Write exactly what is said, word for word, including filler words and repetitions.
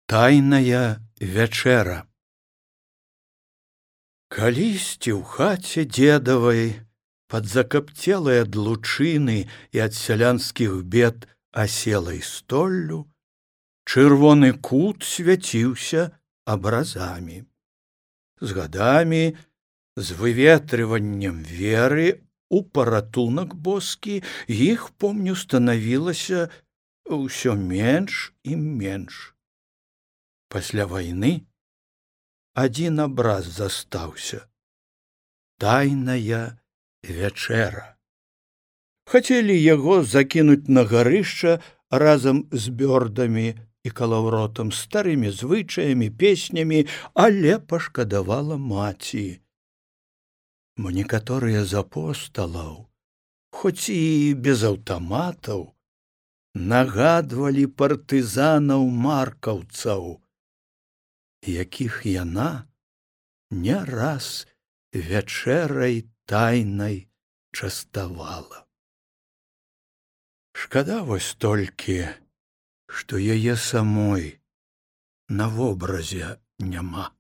Тайная вячэра. Калісьці ў хаце дзедавай, пад закапцелай ад лучыны і ад сялянскіх бед аселай столлю, чырвоны кут свяціўся абразамі. З гадамі, з выветрываннем веры у паратунак боскі, іх, помню, станавілася ўсё менш і менш. Пасля вайны адзін абраз застаўся — тайная вячэра. Хацелі яго закінуць на гарышча разам з бёрдамі і калаўротам, старымі звычаямі, песнямі, але пашкадавала маці. Мо некаторыя з апосталаў, хоць і без аўтаматаў, нагадвалі партызанаў маркаўцаў, якіх яна не раз вячэрай тайнай частавала. Шкада вось толькі, што яе самой на вобразе няма.